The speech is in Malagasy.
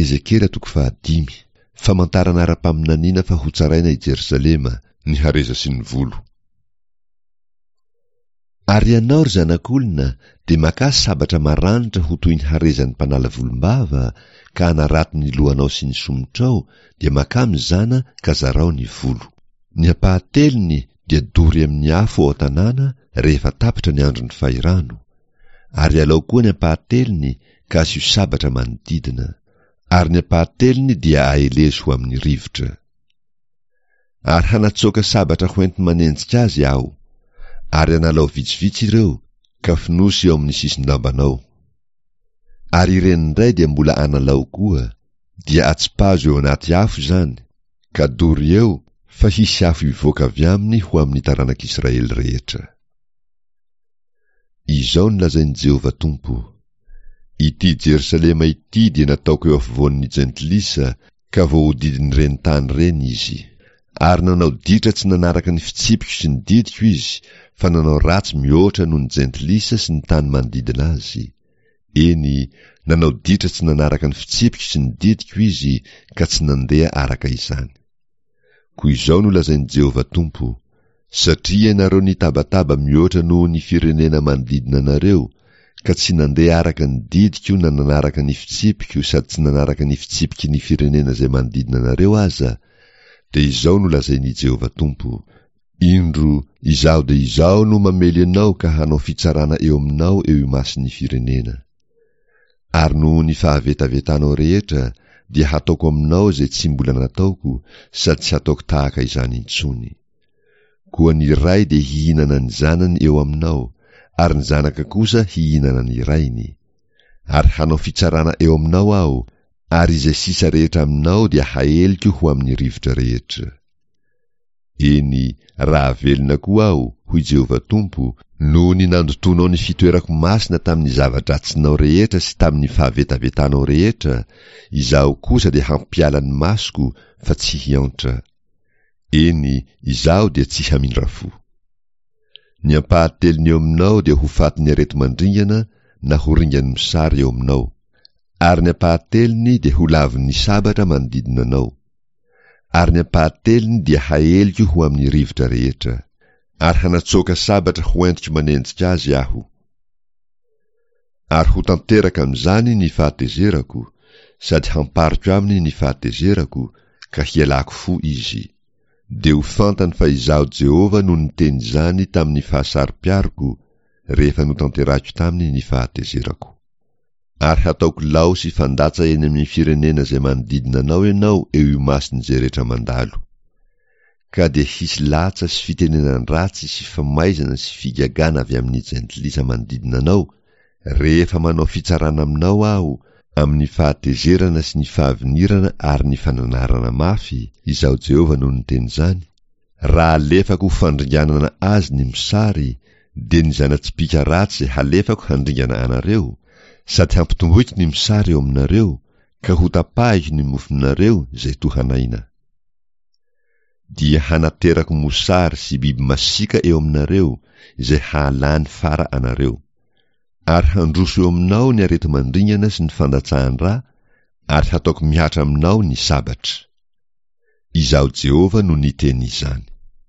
Ezekiela toko fahadimy. Famantarana ara-paminaniana fa hotsaraina i Jerosalema, ny hareza sy ny volo. Ary ianao, ry zanak'olona, dia makà sabatra maranitra ho toy ny harezan'ny mpanala volombava, ka anarato ny lohanao sy ny somotrao, dia makà mizana ka zarao ny volo. Ny ampahatelony dia dory amin'ny afo ao an-tanàna rehefa tapitra ny andron'ny fahirano, ary alao koa ny ampahatelony ka asio sabatra manodidina, ary ny ampahatelony dia aelezo ho amin'ny rivotra. Ary hanatsoaka sabatra hoenti-manenjika azy aho, ary analao vitsivitsy ireo, ka fonosy eo amin'ny sisin-dambanao. Ary ireny indray dia mbola analao koa, dia atsipazo eo anaty afo izany, ka dory eo, fa hisy afo hivoaka avy aminy ho amin'ny taranak'Israely rehetra. Izao no lazain'i Jehovah Tompo, Ity Jerosalema ity dia nataoko eo afovoan'ny jentilisa, ka voahodidin'ireny tany ireny izy. Ary nanao ditra tsy nanaraka ny fitsipiko sy ny didiko izy, fa nanao ratsy mihoatra noho ny jentilisa sy ny tany manodidina azy. Eny, nanao ditra tsy nanaraka ny fitsipiko sy ny didiko izy, ka tsy nandeha araka izany. Koa izao no lazain'i Jehovah Tompo, Satria ianareo nitabataba mihoatra noho ny firenena manodidina anareo, ka tsy nandeha araka ny didiko na nanaraka ny fitsipiko sady tsy nanaraka ny fitsipiky ny firenena izay manodidina anareo aza, dia izao no lazain'i Jehovah Tompo, Indro, Izaho dia Izaho no mamely anao ka hanao fitsarana eo aminao eo imason'ny firenena. Ary noho ny fahavetavetanao rehetra dia hataoko aminao izay tsy mbola nataoko sady tsy hataoko tahaka izany intsony. Koa ny ray dia hihinana ny zanany eo aminao, ary ny zanaka kosa hihinana ny rainy. Ary hanao fitsarana eo aminao Aho, ary izay sisa rehetra aminao dia haeliko ho amin'ny rivotra rehetra. Eny, raha velona koa Aho, hoy Jehovah Tompo, noho ny nandotoanao ny fitoerako masina tamin'ny zava-dratsinao rehetra sy tamin'ny fahavetavetanao rehetra, Izaho kosa dia hampiala ny masoko fa tsy hiantra. Eny, Izaho dia tsy hamindra fo. Ny ampahatelony eo aminao dia ho fatin'ny areti-mandringana na ho ringan'ny mosary eo aminao, ary ny ampahatelony dia ho lavon'ny sabatra manodidina anao. Ary ny ampahatelony dia haeliko ho amin'ny rivotra rehetra. Ary hanatsoaka sabatra ho entiko manenjika azy Aho. Ary ho tanteraka amin'izany ny fahatezerako, sady hampariko aminy ny fahatezerako, ka hialako fo izy. Dia ho fantany fa Izaho Jehovah no niteny izany tamin'ny fahasaro-piaroko, rehefa notanterahiko taminy ny fahatezerako. Ary hataoko lao sy fandatsa eny amin'ny firenena izay manodidina anao ianao eo imason'izay rehetra mandalo. Ka dia hisy latsa sy fitenenan-dratsy sy famaizana sy figagana avy amin'ny jentilisa manodidina anao, rehefa manao fitsarana aminao Aho, amin'ny fahatezerana sy ny fahavinirana ary ny fananarana mafy, Izaho Jehovah no niteny izany, Raha alefako ho fandringanana azy ny mosary, dia ny zana-tsipìka ratsy izay halefako handringana anareo, sady hampitomboiko ny mosary eo aminareo, ka hotapahiko ny mofonareo izay tohan'aina. Dia hanaterako mosary sy biby masiaka eo aminareo, izay hahalany fara anareo. Ary handroso eo aminao ny areti-mandringana sy ny fandatsahan-dra, ary hataoko mihatra aminao ny sabatra. Izaho Jehovah no niteny izany.